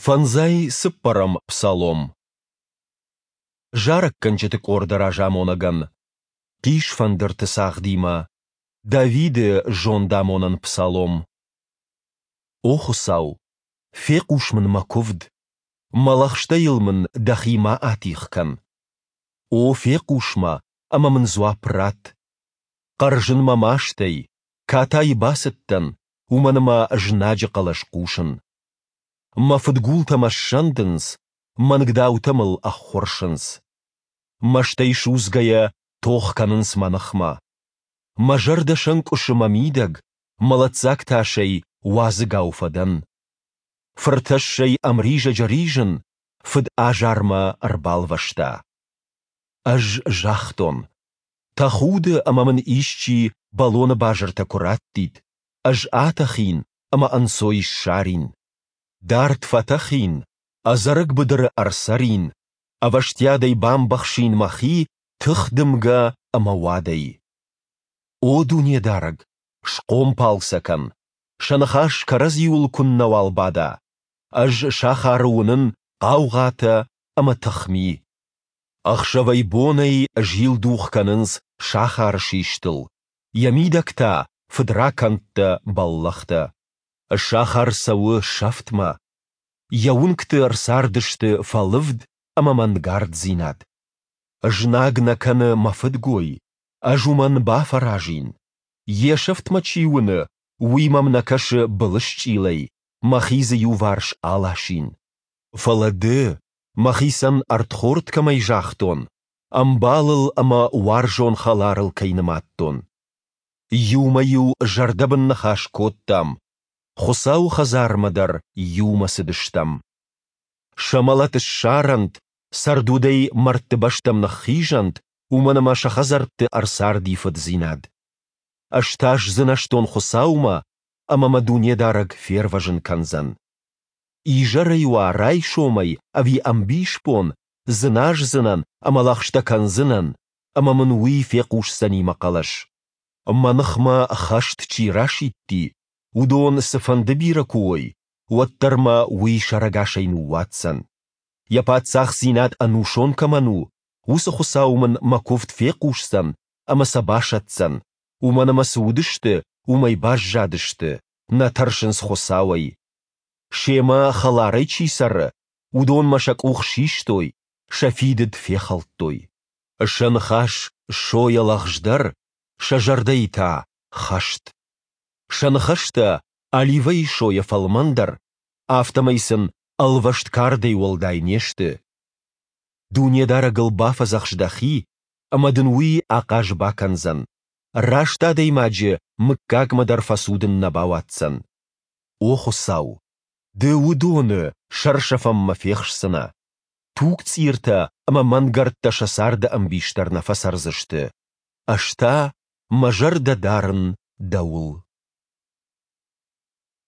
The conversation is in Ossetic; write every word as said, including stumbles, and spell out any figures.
Фӕндзай цыппӕрӕм псалом. Зарӕггӕнджыты къорды разамонӕгӕн. Хъисфӕндырты цагъдимӕ. Давиды зондамонӕн псалом. О Хуыцау, фехъус мын мӕ куывд, мӕ лӕгъстӕйыл мын Дӕхи ма атигъ кӕн. О, фехъус мӕ ӕмӕ мын дзуапп ратт. Хъӕрзын мӕ мастӕй, катайы бацыдтӕн, уымӕн ӕмӕ знаджы хъӕлӕс хъусын. Мӕ фыдгултӕ мӕ ссӕндынц, мӕнгдаутӕ мыл ӕххуырсынц. Мӕстӕй судзгӕйӕ тох кӕнынц мӕ ныхмӕ. Мӕ зӕрдӕ сӕнкъуысы мӕ мидӕг, мӕлӕтдзаг тасӕй уадзыгау фӕдӕн. Фыртӕссӕй ӕмризӕджы ризын, фыд азар мӕ ӕрбалвӕста. Ӕз загътон: Тӕхуды ӕмӕ мын исчи бӕлоны базыртӕ куы раттид, ӕз атӕхин ӕмӕ ӕнцой ссарин. Дард фӕтӕхин, ӕдзӕрӕг быдыры ӕрцӕрин, ӕвӕстиатӕй бамбӕхсин мӕхи тых дымгӕ ӕмӕ уадӕй. О Дунедарӕг, схъомпал сӕ кӕн, сӕ ныхас кӕрӕдзиуыл куыннӕуал бада. Ӕз сахары уынын хъаугъатӕ ӕмӕ тыхми. Ӕхсӕвӕй-бонӕй зилдух кӕнынц сахары систыл, йӕ мидӕг та фыдракӕндтӕ, бӕллӕхтӕ. Сахар цӕуы сӕфтмӕ. Йӕ уынгты рцардысты фӕлывд ӕмӕ мӕнгарддзинад. Знаг нӕ кӕны мӕ фыдгой, ӕз уымӕн бафӕразин. Йе сӕфт мӕ чи уыны, уый мӕм нӕ кӕсы былысчъилӕй, мӕхи дзы иуварс аласин. Фӕлӕ ды, мӕхицӕн ӕрдхорд кӕмӕй загътон, ӕмбалыл ӕмӕ уарзон хӕларыл кӕй нымадтон. Иумӕ-иу зӕрдӕбын ныхас кодтам, Хуыцауы хӕдзармӕ дӕр иумӕ цыдыстӕм. Сӕ мӕлӕт ссарӕнт, цӕрдудӕй мӕрдты бӕстӕм ныххизӕнт, уымӕн ӕмӕ сӕ хӕдзӕртты ӕрцарди фыддзинад. Ӕз та сдзынӕзтон Хуыцаумӕ, ӕмӕ мӕ Дунедарӕг фервӕзын кӕндзӕн. Изӕрӕй уа, райсомӕй ӕви ӕмбисбон, дзыназдзынӕн ӕмӕ лӕгъстӕ кӕндзынӕн, ӕмӕ мын Уый фехъусдзӕни мӕ хъӕлӕс. Мӕ ныхмӕ хӕст чи расидти, уыдон цыфӕнды бирӕ куы уой, уӕддӕр мӕ Уый сӕрӕгасӕй ныууадздзӕн. Йӕ паддзахдзинад ӕнусон кӕмӕн у, уыцы Хуыцау мын мӕ куывд фехъусдзӕн ӕмӕ сӕ басӕтдзӕн, уымӕн ӕмӕ цы уыдысты, уымӕй баззадысты, нӕ тӕрсынц Хуыцауӕй. Семӕ хӕларӕй чи цӕры, уыдонмӕ сӕ къух систой, сӕ фидыд фехӕлдтой. Сӕ ныхас сойӕ лӕгъздӕр, сӕ зӕрдӕйы та хӕст. Сӕ ныхӕстӕ оливӕйы сойӕ фӕлмӕндӕр, афтӕмӕй сын ӕлвӕст кардӕй уӕлдай не сты. Дунедарӕгыл бафӕдзӕхс дӕхи, ӕмӕ дын уый ахъаз бакӕндзӕн, раст адӕймаджы мыггагмӕ дӕр фӕцудын нӕ бауадздзӕн. О Хуыцау, Ды уыдоны сӕрсӕфӕнмӕ фехсдзынӕ. Тугцъиртӕ ӕмӕ мӕнгӕрдтӕ сӕ царды ӕмбис дӕр нӕ фӕцӕрдзысты. Ӕз та мӕ зӕрдӕ дарын Дӕуыл.